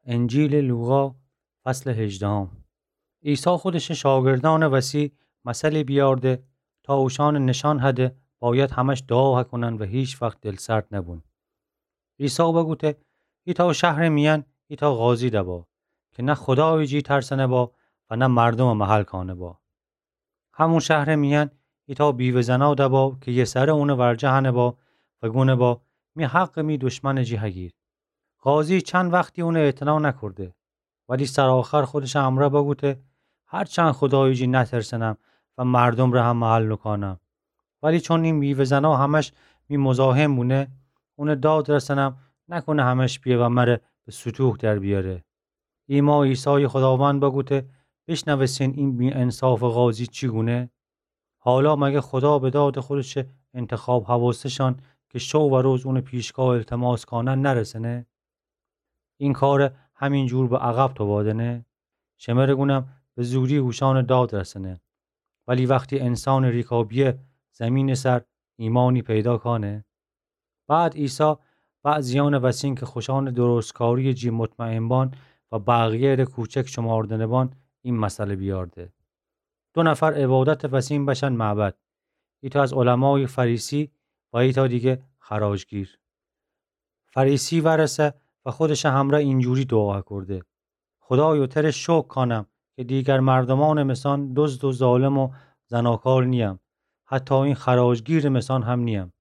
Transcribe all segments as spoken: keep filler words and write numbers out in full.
انجیلٚ لوقا، فصلٚ هجدهم. عیسی خودشٚ شاگردأنٚ وسی مثلی بیارده تا اوشأنٚ نشأن هده باید همش دوعا هکونن و هیچ وخت دلسرد نبون. عیسی بگوته: ایتأ شهرٚ میأن ایتأ قاضی دبا که نه خودایٚ جی ترسأنه با و نه مردومٚ محل کأنه با. همون شهرٚ میأن ایتأ بیوه زنا دبا که یه سره اونٚ ورجه هنه با و گونه با: می حقٚ می دشمنٚ جی هگیر. قاضی چند وختی اونٚ اعتنا نکرده، ولی سرآخر خودشٚ امرأ بگوته: هرچند خودایٚ جی نترسنم و مردومٚ ره هم محل نوکأنم، ولی چون این بیوه زنا همش می مزاحم بونه، اونٚ داد رسنم، نکونه همش بیه و مره به ستوه در بیاره. ایما عیسایٚ خوداوند بگوته: بیشنوستین این بی‌انصافٚ قاضی چی گونه؟ حالا مگه خودا به دادٚ خودشٚ انتخاب هواسه‌شأن که شو و روز اونٚ پیشگاه التماس کانن نرسنه؟ این کار همین جور به عقب توبادنه؟ شمره گونم به زودی اوشأنٚ داد رسنه. ولی وختی انسانٚ ریکابیه زمینٚ سر، ایمانی پیدا کانه؟ بعد عیسی بعضیأنٚ وسین که خوشأنٚ درستکاریٚ جی مطمئن بان و بقیه‌ره کوچک شماردنه بان، این مثل بیارده: دو نفر عبادتٚ وسین بشن معبد، ایتأ از علمایٚ فریسی و ایتأ دیگه خراجگیر. فریسی ورسه و خودشٚ همرأ اینجوری دوعا کرده: خودایا، تره شکر کانم که دیگر مردومأنٚ مثأن دزد و ظالم و زناکار نیم، حتی این خراجگیرٚ مثأن هم نیم.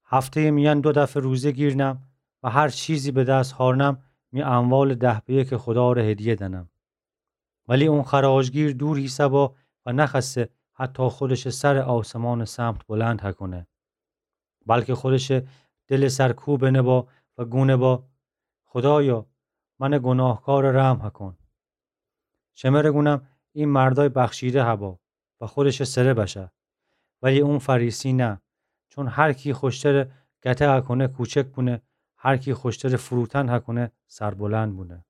هفته‌یٚ میأن دو دفعه روزه گیرنم و هر چیزی به دست هارنم، می اموالٚ ده به یکٚ خودا ره هدیه دنم. ولی اون خراجگیر دور ایسه‌با و نخوأسته حتی خودشٚ سر آسمانٚ سمت بلند هکونه، بلکه خودشٚ دلٚ سر کوبنه با و گونه با: خودایا، منٚ گوناهکار ره رحم هکون. شمره گونم این مردای بخشیده هبا و خودشٚ سره بشه، ولی اون فریسی نه، چون هر کی خوشتره گته هکونه کوچک بونه، هر کی خوشتره فروتن هکونه سربلند بونه.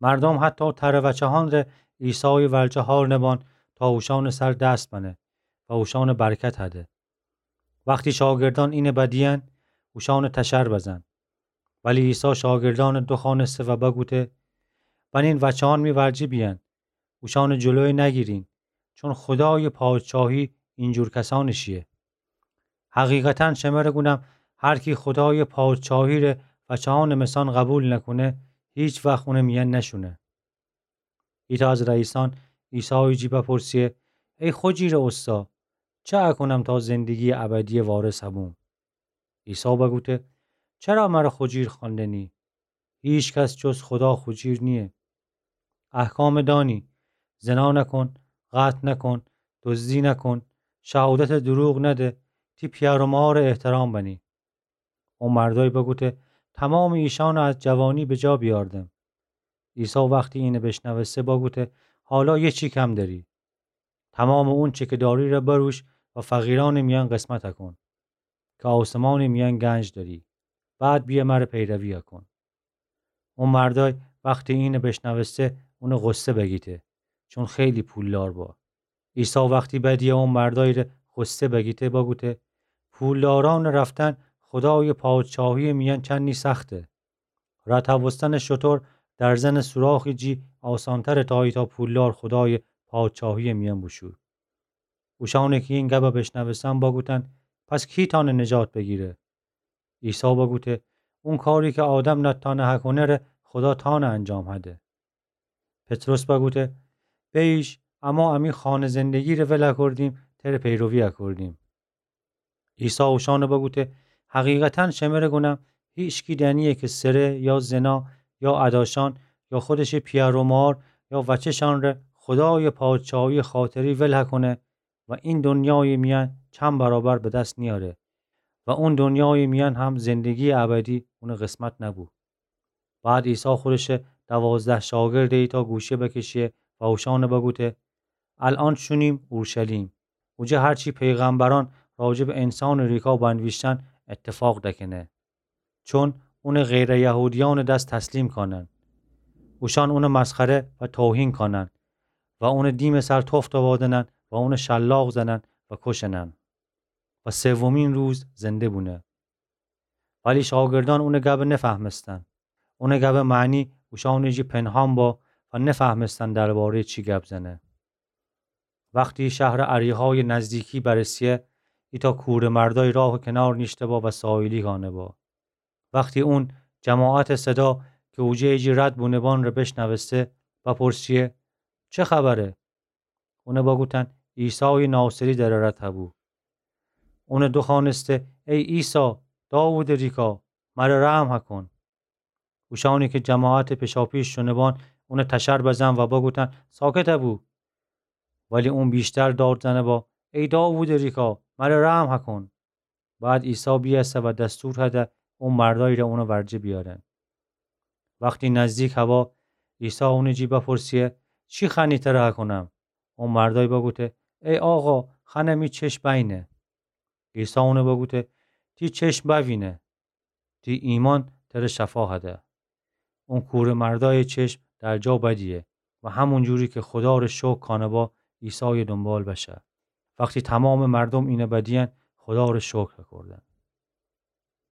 مردوم حتی تره وچه‌هان ره عیسایٚ ورجه هارنه بان تا اوشأنٚ سر دست بنه و اوشأنٚ برکت هده. وختی شاگردأن اینه بدیئن، اوشأنٚ تشر بزن. ولی عیسی شاگردأنٚ دوخوأنسته و بگوته: بنین وچه‌هان می ورجه بیأن، اوشأنٚ جلویه نگیرین، چون خودایٚ پادشاهی اینجور کسأنٚ شیه. حقیقتاً شمره گونم، هر کی خودایٚ پادشاهی ره وچه‌هانٚ مثأن قبول نکونه، هیچ وخت اونٚ میأن نشونه. ایتأ از رئیسأن عیسایٚ جی بپرسه: ای خوجیرٚ اوستا، چه اکونم تا زندگیٚ ابدیٚ وارث هبوم؟ عیسی بگوته: چرا مره خوجیر خوأندنی؟ هیچ کس جز خودا خوجیر نییه. احکام دانی: زنا نکن، قتل نکن، دزدی نکن، شهادت دروغ نده، تی پیار و مار احترام بنی. او مردای بگوته: تمام ایشان از جوانی به جا بیاردم. عیسی وختی اینه بشنوسته بگوته: حالا یه چی کم دری. تمام اونچه که داری ره بروش و فقیران میان قسمت کن، که آسمان میان گنج دری. بعد بیا مره پیروی کن. او مردای وختی اینه بشنوسته اونه غصه بگیته، چون خیلی پولدار با. عیسی وختی بدی او مردای ره غصه بگیته بگوته: پولداران رفتن خدای پادشاهی میان چندی سخته. رتوستن شتر در زن سوراخی جی آسانتره تا ایتا پولدار خدای پادشاهی میان بوشو. اوشانه کی این گبه بشنوستن بگوتن: پس کی تانه نجات بگیره؟ عیسی بگوته: اون کاری که آدم نتانه هکونه ره خدا تانه انجام هده. پطرس بگوته: بیش، اما امی خانه زندگی ره ول کردیم، تره پیروی کردیم. عیسی اوشانه بگوته: حقیقتاً شمره گونم، هیچکی دنیه که سره یا زنا یا اداشان یا خودش پیار و مار یا وچه‌شان ره خدای پادشاهی خاطری ول هکونه و این دنیای میان چند برابر به دست نیاره و اون دنیای میان هم زندگی ابدی اون قسمت نبو. بعد عیسی خودش دوازده شاگرد ایتا گوشه بکشه و اوشانه بگوته: الان شونیم اورشلیم، اوجه هرچی پیغمبران راجع به انسان ریکا بنویشتن اتفاق دکنه. چون اون غیر یهودیان دست تسلیم کانن، اوشان اون مسخره و توهین کانن و اون دیم سر تفت وادنن و اون شلاق زنن و کشنن و سومین روز زنده بونه. ولی شاگردان اون گب نفهمستن. اونٚ گبٚ معنی اوشأنٚ جی پنهان با و نفهمستن درباره‌یٚ چی گب زنه. وختی شهرٚ اریحایٚ نزدیکی برسه، ایتأ کوره مردای راهٚ کنار نیشته با و سایلی گانه با. وختی اون جماعتٚ صدا کی اوجه‌یٚ جی رد بونه‌بان ره بشنوسته، بپرسه: چه خبره؟ اون بگوتن: عیسایٚ ناصری دره رد هبو. اون دوخوأنسته: ای عیسی، داوودٚ ریکا، مره رحم هکن. اوشأنی کی جماعتٚ پیشاپیش شونه‌بان، اون تشر بزن و بگوتن: ساکت بو. ولی اون ویشتر داد زنه با: ای داوودٚ ریکا، مره رحم هکن. بعد عیسی بیأسه و دستور هده او مردای ره اونٚ ورجه بیأرن. وختی نزدیک هوا، عیسی اونٚ جی بپرسه: چی خوأنی تره هکونم؟ او مردای بگوته: ای آقا، خوأنم می چشم بأیینه. عیسی اون بگوته: تی چشم بأوینه. تی ایمأن تره شفا هده. اون کوره مردایٚ چشم در جا بدیه و همون جوری کی خودا ره شکر کانه با، عیسایٚ دونبال بشه. وختی تومامٚ مردوم اینه بدیین، خودا ره شکر هکردن.